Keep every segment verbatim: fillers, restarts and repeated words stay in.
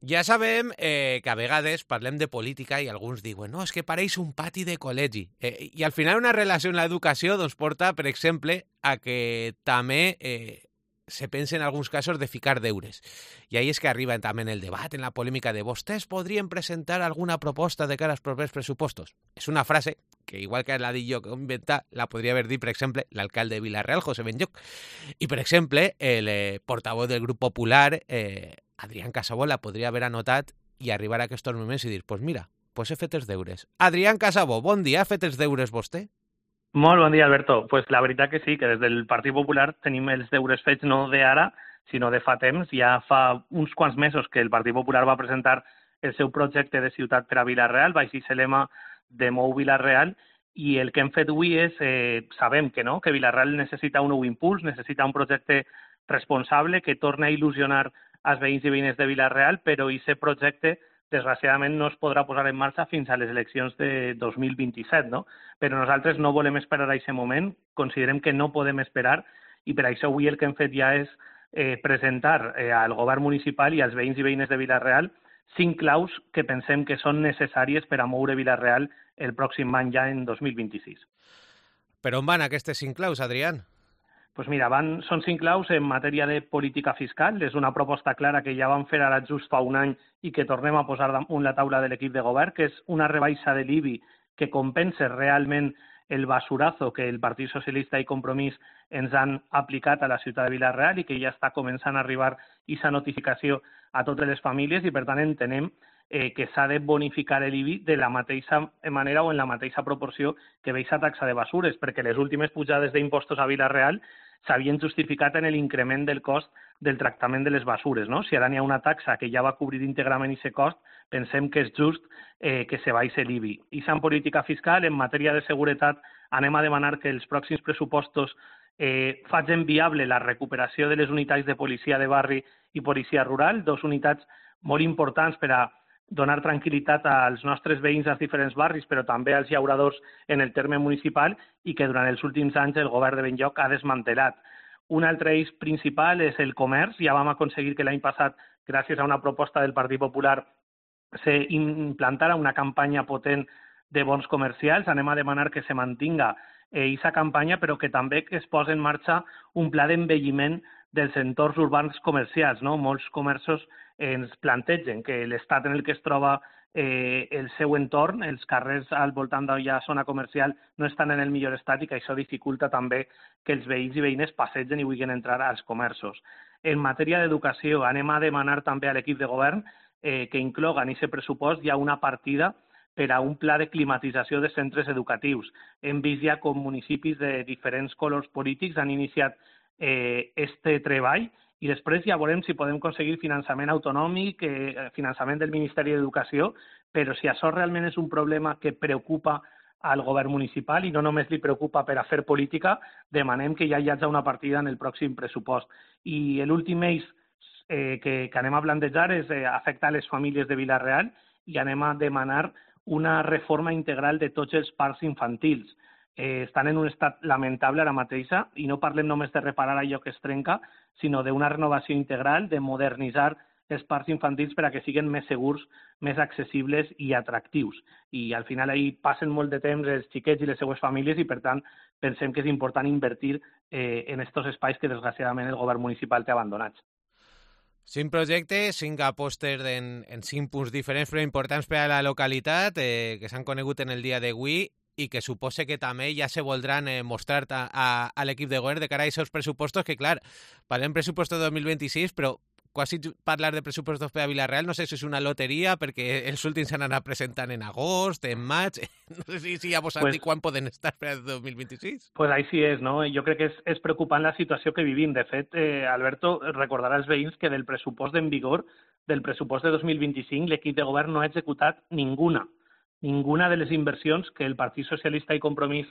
Ja sabem eh, que a vegades parlem de política i alguns diuen no, és que pareix un pati de col·legi. Eh, I al final una relació amb l'educació doncs, porta, per exemple, a que també eh, se pensa en alguns casos de ficar deures. I ahí és que arriba també en el debat, en la polèmica de vostès podrien presentar alguna proposta de cara als propers pressupostos. És una frase que, igual que la dic jo que ho inventar, la podria haver dit, per exemple, l'alcalde de Vila-real, José Benlloch. I, per exemple, el eh, portavoz del grup popular, eh, Adrián Casabó, la podria haver anotat i arribar a aquests moments i dir, pues mira, pues he fet els deures. Adrián Casabó, bon dia, ha fet els deures vostè? Molt bon dia, Alberto. Pues la veritat que sí, que des del Partit Popular tenim els deures fets no d'ara, sinó de fa temps. Ja fa uns quants mesos que el Partit Popular va presentar el seu projecte de ciutat per a Vila-real, baix el lema de Mou Vila-real, i el que hem fet avui és, eh, sabem que no, que Vila-real necessita un nou impuls, necessita un projecte responsable que torni a il·lusionar als veïns i veïnes de Vila-real, però aquest projecte desgraciadament no es podrà posar en marxa fins a les eleccions de dos mil vint-i-set, no? Però nosaltres no volem esperar a aquest moment, considerem que no podem esperar i per això avui el que hem fet ja és eh, presentar eh, al govern municipal i als veïns i veïnes de Vila-real cinc claus que pensem que són necessàries per a moure Vila-real el pròxim any ja en dos mil vint-i-sis. Per on van aquestes cinc claus, Adrián? Pues mira, van, són cinc claus en matèria de política fiscal. És una proposta clara que ja vam fer ara just fa un any i que tornem a posar damunt la taula de l'equip de govern, que és una rebaixa de l'I B I que compensa realment el basurazo que el Partit Socialista i Compromís ens han aplicat a la ciutat de Vila-real i que ja està començant a arribar aquesta notificació a totes les famílies i, per tant, entenem eh, que s'ha de bonificar l'I B I de la mateixa manera o en la mateixa proporció que ve aquesta taxa de basures, perquè les últimes pujades d'impostos a Vila-real s'havien justificat en l'increment del cost del tractament de les basures, no? Si ara n'hi ha una taxa que ja va cobrir íntegrament aquest cost, pensem que és just eh, que se baixi l'I B I. I en política fiscal, en matèria de seguretat, anem a demanar que els pròxims pressupostos eh, facin viable la recuperació de les unitats de policia de barri i policia rural, dos unitats molt importants per a donar tranquil·litat als nostres veïns als diferents barris, però també als llauradors en el terme municipal i que durant els últims anys el govern de Benlloc ha desmantelat. Un altre eix principal és el comerç. Ja vam aconseguir que l'any passat, gràcies a una proposta del Partit Popular, se implantara una campanya potent de bons comercials. Anem a demanar que se mantinga aquesta eh, campanya, però que també que es posi en marxa un pla d'envelliment dels entorns urbans comercials, no? Molts comerços ens plantegen que l'estat en el que es troba eh, el seu entorn, els carrers al voltant d'alla zona comercial, no estan en el millor estat i que això dificulta també que els veïns i veïnes passegen i vulguin entrar als comerços. En matèria d'educació, anem a demanar també a l'equip de govern eh, que incloga en aquest pressupost ja una partida per a un pla de climatització de centres educatius. Hem vist ja com municipis de diferents colors polítics han iniciat eh, este treball i després ja veurem si podem aconseguir finançament autonòmic, eh, finançament del Ministeri d'Educació, però si això realment és un problema que preocupa al govern municipal i no només li preocupa per a fer política, demanem que ja hi hagi una partida en el pròxim pressupost. I l'últim eix eh, que, que anem a plantejar és eh, afectar les famílies de Vila-real i anem a demanar una reforma integral de tots els parcs infantils. Eh, estan en un estat lamentable ara mateixa i no parlem només de reparar allò que es trenca, sinó d'una renovació integral, de modernitzar els parcs infantils per a que siguin més segurs, més accessibles i atractius. I al final ahí passen molt de temps els xiquets i les seues famílies i per tant pensem que és important invertir eh, en aquests espais que desgraciadament el govern municipal té abandonats. Cinc projectes, cinc apostes en, en cinc punts diferents però importants per a la localitat eh, que s'han conegut en el dia d'avui i que suposa que també ja se voldran eh, mostrar a, a, a l'equip de govern de cara a aquests pressupostos que, clar, parlem pressupostos de dos mil vint-i-sis, però quasi parlar de pressupostos per a Vila-real no sé si és una loteria perquè els últims s'han anat presentant en agost, en maig, no sé si, si ja vos han pues, dit quan poden estar per a dos mil vint-i-sis. Pues així és, no? Jo crec que és, és preocupant la situació que vivim. De fet, eh, Alberto, recordarà als veïns que del pressupost en vigor, del pressupost de dos mil vint-i-cinc, l'equip de govern no ha executat ninguna. Ninguna de les inversions que el Partit Socialista i Compromís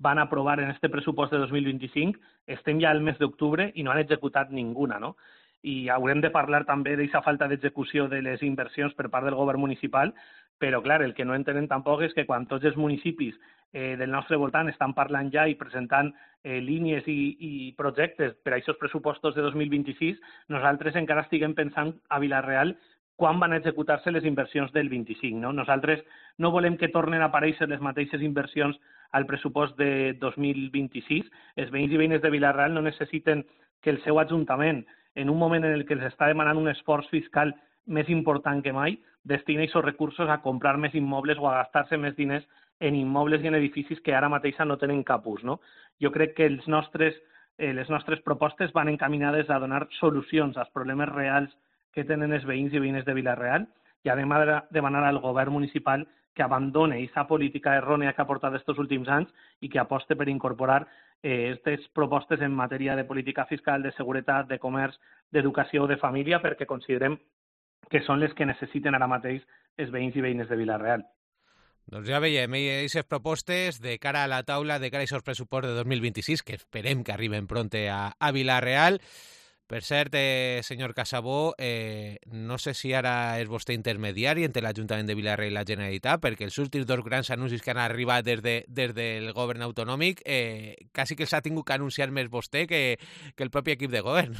van aprovar en este pressupost de dos mil vint-i-cinc, estem ja al mes d'octubre i no han executat ninguna, no? I haurem de parlar també d'aquesta falta d'execució de les inversions per part del govern municipal, però, clar, el que no entenen tampoc és que quan tots els municipis eh, del nostre voltant estan parlant ja i presentant eh, línies i, i projectes per a aquests pressupostos de dos mil vint-i-sis, nosaltres encara estiguem pensant a Vila-real quan van executar-se les inversions del vint-i-cinc. No? Nosaltres no volem que tornen a aparèixer les mateixes inversions al pressupost de dos mil vint-i-sis. Els veïns i veïnes de Vila-real no necessiten que el seu ajuntament, en un moment en el que els està demanant un esforç fiscal més important que mai, destina aquests recursos a comprar més immobles o a gastar-se més diners en immobles i en edificis que ara mateixa no tenen cap ús. No? Jo crec que els nostres, eh, les nostres propostes van encaminades a donar solucions als problemes reals que tenen els veïns i veïnes de Vila-real i anem a demanar al govern municipal que abandone aquesta política errònia que ha portat aquests últims anys i que aposte per incorporar aquestes eh, propostes en matèria de política fiscal, de seguretat, de comerç, d'educació o de família, perquè considerem que són les que necessiten ara mateix els veïns i veïnes de Vila-real. Doncs ja veiem, aquestes propostes de cara a la taula, de cara a aquests pressupostos de dos mil vint-i-sis, que esperem que arriben pronte a, a Vila-real. Per cert, eh, senyor Casabó, eh, no sé si ara és vostè intermediari entre l'Ajuntament de Vila-real i la Generalitat, perquè els últims dos grans anuncis que han arribat des, de, des del govern autonòmic eh, quasi que els ha tingut que anunciar més vostè que, que el propi equip de govern.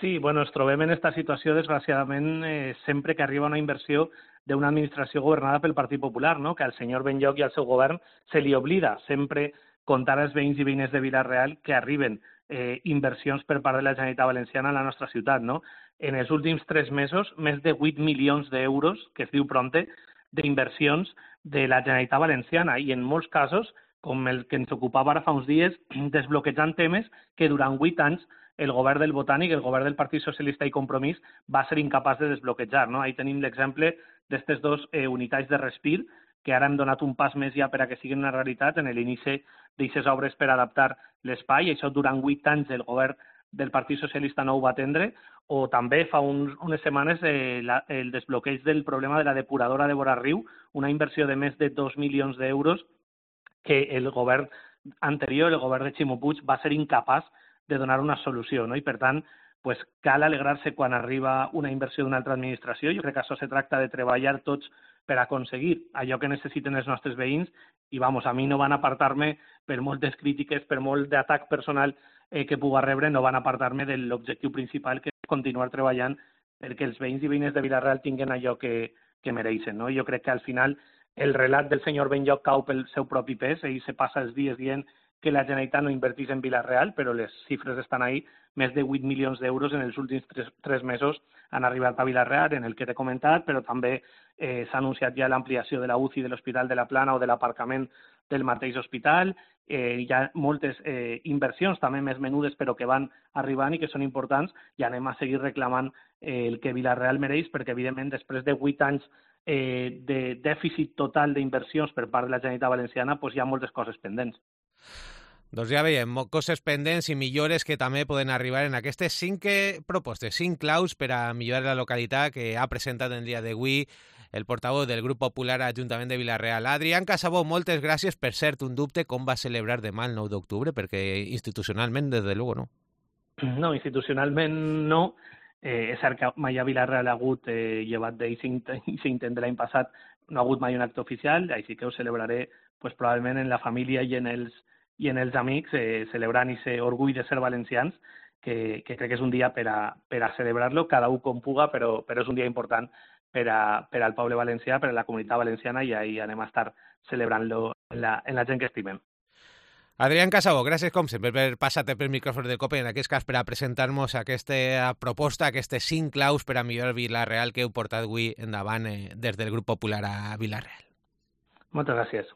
Sí, bueno, ens trobem en aquesta situació, desgraciadament, eh, sempre que arriba una inversió d'una administració governada pel Partit Popular, no? Que al senyor Benlloch i al seu govern se li oblida sempre contar als veïns i veïnes de Vila-real que arriben eh, inversions per part de la Generalitat Valenciana a la nostra ciutat. No? En els últims tres mesos, més de vuit milions d'euros, que es diu prompte, d'inversions de la Generalitat Valenciana i en molts casos, com el que ens ocupava ara fa uns dies, desbloquejant temes que durant vuit anys el govern del Botànic, el govern del Partit Socialista i Compromís va ser incapaç de desbloquejar. No? Ahí tenim l'exemple d'aquestes dos eh, unitats de respir, que ara hem donat un pas més ja per a que siguin una realitat en l'inici d'aquestes obres per adaptar l'espai, i això durant vuit anys el govern del Partit Socialista no ho va atendre, o també fa uns, unes setmanes eh, la, el desbloqueig del problema de la depuradora de Vora-riu, una inversió de més de dos milions d'euros que el govern anterior, el govern de Ximo Puig, va ser incapaç de donar una solució. No? I per tant, pues, cal alegrar-se quan arriba una inversió d'una altra administració. Jo crec que això se tracta de treballar tots per aconseguir allò que necessiten els nostres veïns i, vamos, a mi no van apartar-me, per moltes crítiques, per molt d'atac personal eh, que puga rebre, no van apartar-me de l'objectiu principal, que és continuar treballant perquè els veïns i veïnes de Vila-real tinguin allò que, que mereixen. No? Jo crec que al final el relat del senyor Benlloch cau pel seu propi pes, ell se passa els dies dient que la Generalitat no invertís en Vila-real, però les xifres estan ahí. Més de vuit milions d'euros en els últims tres, tres mesos han arribat a Vila-real, en el que t'he comentat, però també eh, s'ha anunciat ja l'ampliació de la U C I de l'Hospital de la Plana o de l'aparcament del mateix hospital. Eh, hi ha moltes eh, inversions també més menudes però que van arribant i que són importants, i anem a seguir reclamant eh, el que Vila-real mereix, perquè evidentment després de vuit anys eh, de dèficit total d'inversions per part de la Generalitat Valenciana, pues, hi ha moltes coses pendents. Doncs ja veiem, coses pendents i millores que també poden arribar en aquestes cinc propostes, cinc claus per a millorar la localitat que ha presentat el dia d'avui el portaveu del Grup Popular a l'Ajuntament de Vila-real. Adrián Casabó, moltes gràcies. Per cert, un dubte, com va celebrar demà el nou d'octubre? Perquè institucionalment, des de luego, no. No, institucionalment no. Eh, és cert que mai a Vila-real ha hagut, eh, llevat d'aquest intent de l'any passat, no ha hagut mai un acte oficial, així que ho celebraré pues, probablement en la família i en els i en els amics, eh, celebrant aquest orgull de ser valencians, que, que crec que és un dia per a, per a celebrar-lo, cada un com puga, però, però és un dia important per, a, per al poble valencià, per a la comunitat valenciana, i ahí anem a estar celebrant-lo en la, en la gent que estimem. Adrián Casabó, gràcies com sempre per passar-te pel micròfon del COPE, en aquest cas per a presentar-nos aquesta proposta, aquestes cinc claus per a millorar Vila-real que heu portat avui endavant eh, des del Grup Popular a Vila-real. Moltes gràcies.